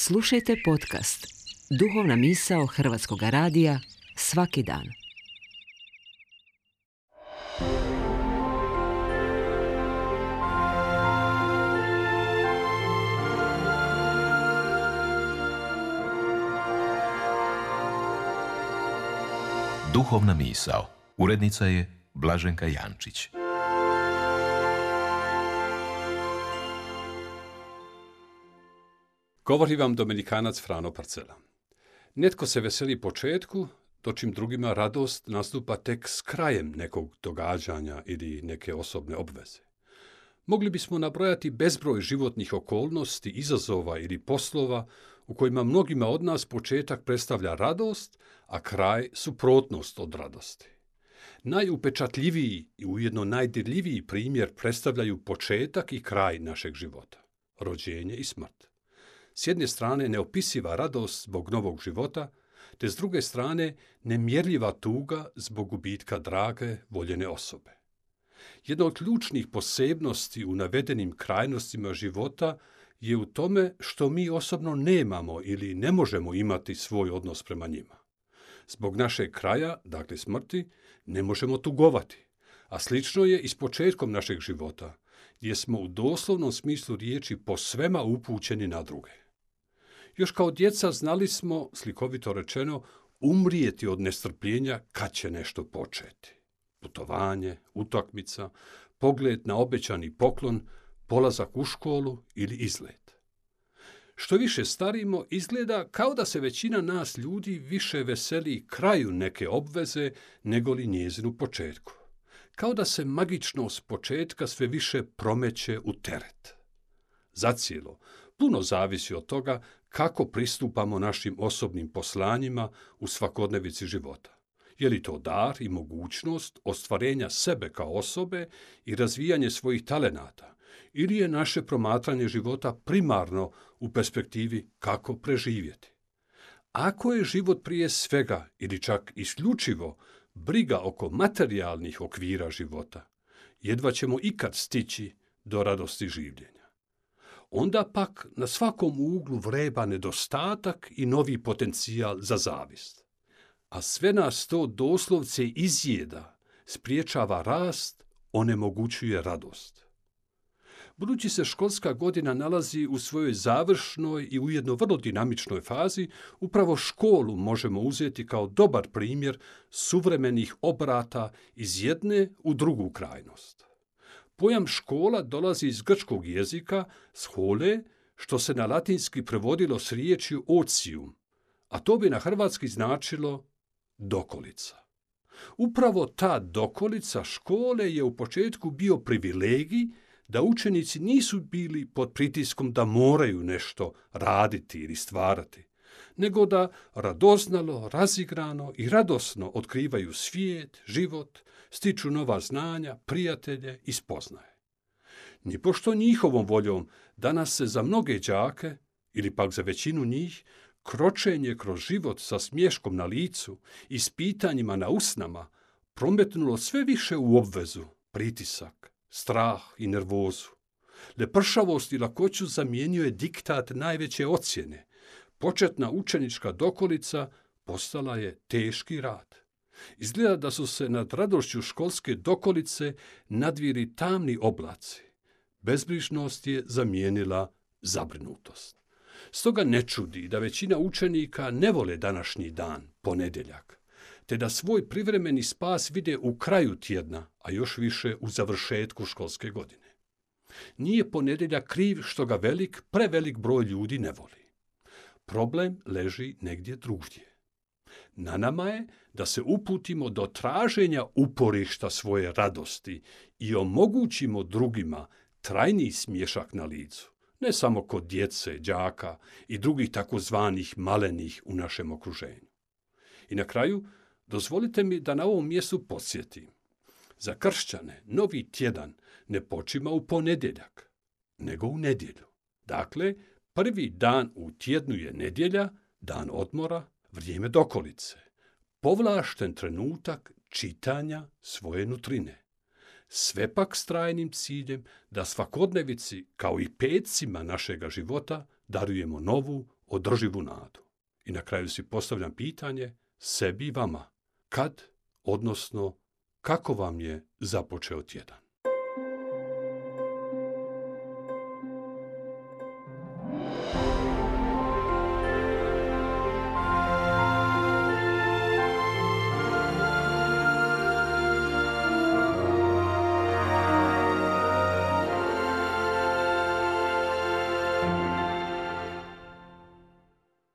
Slušajte podcast Duhovna misao Hrvatskog radija svaki dan. Duhovna misao. Urednica je Blaženka Jančić. Govori vam Dominikanac Frano Parcela. Netko se veseli početku, dočim drugima radost nastupa tek s krajem nekog događanja ili neke osobne obveze. Mogli bismo nabrojati bezbroj životnih okolnosti, izazova ili poslova u kojima mnogima od nas početak predstavlja radost, a kraj suprotnost od radosti. Najupečatljiviji i ujedno najdirljiviji primjer predstavljaju početak i kraj našeg života, rođenje i smrt. S jedne strane neopisiva radost zbog novog života, te s druge strane nemjerljiva tuga zbog gubitka drage, voljene osobe. Jedna od ključnih posebnosti u navedenim krajnostima života je u tome što mi osobno nemamo ili ne možemo imati svoj odnos prema njima. Zbog našeg kraja, dakle smrti, ne možemo tugovati, a slično je i s početkom našeg života, gdje smo u doslovnom smislu riječi posvema upućeni na druge. Još kao djeca znali smo, slikovito rečeno, umrijeti od nestrpljenja kad će nešto početi. Putovanje, utakmica, pogled na obećani poklon, polazak u školu ili izlet. Što više starimo, izgleda kao da se većina nas ljudi više veseli kraju neke obveze nego li njezinu početku. Kao da se magično s početka sve više promeće u teret. Zacijelo, puno zavisi od toga kako pristupamo našim osobnim poslanjima u svakodnevici života. Je li to dar i mogućnost ostvarenja sebe kao osobe i razvijanje svojih talenata, ili je naše promatranje života primarno u perspektivi kako preživjeti? Ako je život prije svega ili čak isključivo briga oko materijalnih okvira života, jedva ćemo ikad stići do radosti življenja. Onda pak na svakom uglu vreba nedostatak i novi potencijal za zavist. A sve nas to doslovce izjeda, spriječava rast, onemogućuje radost. Budući se školska godina nalazi u svojoj završnoj i ujedno vrlo dinamičnoj fazi, upravo školu možemo uzeti kao dobar primjer suvremenih obrata iz jedne u drugu krajnost. Pojam škola dolazi iz grčkog jezika schole, što se na latinski prevodilo s riječju ocium, a to bi na hrvatski značilo dokolica. Upravo ta dokolica škole je u početku bio privilegij da učenici nisu bili pod pritiskom da moraju nešto raditi ili stvarati, nego da radoznalo, razigrano i radosno otkrivaju svijet, život, stiču nova znanja, prijatelje i spoznaje. Nipošto njihovom voljom danas se za mnoge đake, ili pak za većinu njih, kročenje kroz život sa smješkom na licu i s pitanjima na usnama prometnulo sve više u obvezu, pritisak, strah i nervozu. Lepršavost i lakoću zamijenio je diktat najveće ocjene. Početna učenička dokolica postala je teški rad. Izgleda da su se nad radošću školske dokolice nadvili tamni oblaci. Bezbrižnost je zamijenila zabrinutost. Stoga ne čudi da većina učenika ne vole današnji dan, ponedjeljak, te da svoj privremeni spas vide u kraju tjedna, a još više u završetku školske godine. Nije ponedjeljak kriv što ga prevelik broj ljudi ne voli. Problem leži negdje drugdje. Na nama je da se uputimo do traženja uporišta svoje radosti i omogućimo drugima trajni smješak na licu, ne samo kod djece, đaka i drugih takozvanih malenih u našem okruženju. I na kraju, dozvolite mi da na ovom mjestu podsjetim. Za kršćane novi tjedan ne počima u ponedjeljak, nego u nedjelju. Dakle, prvi dan u tjednu je nedjelja, dan odmora, vrijeme dokolice, povlašten trenutak čitanja svoje nutrine. Sve pak s trajnim ciljem da svakodnevici, kao i petcima našega života, darujemo novu, održivu nadu. I na kraju si postavljam pitanje sebi i vama. Kad, odnosno kako vam je započeo tjedan?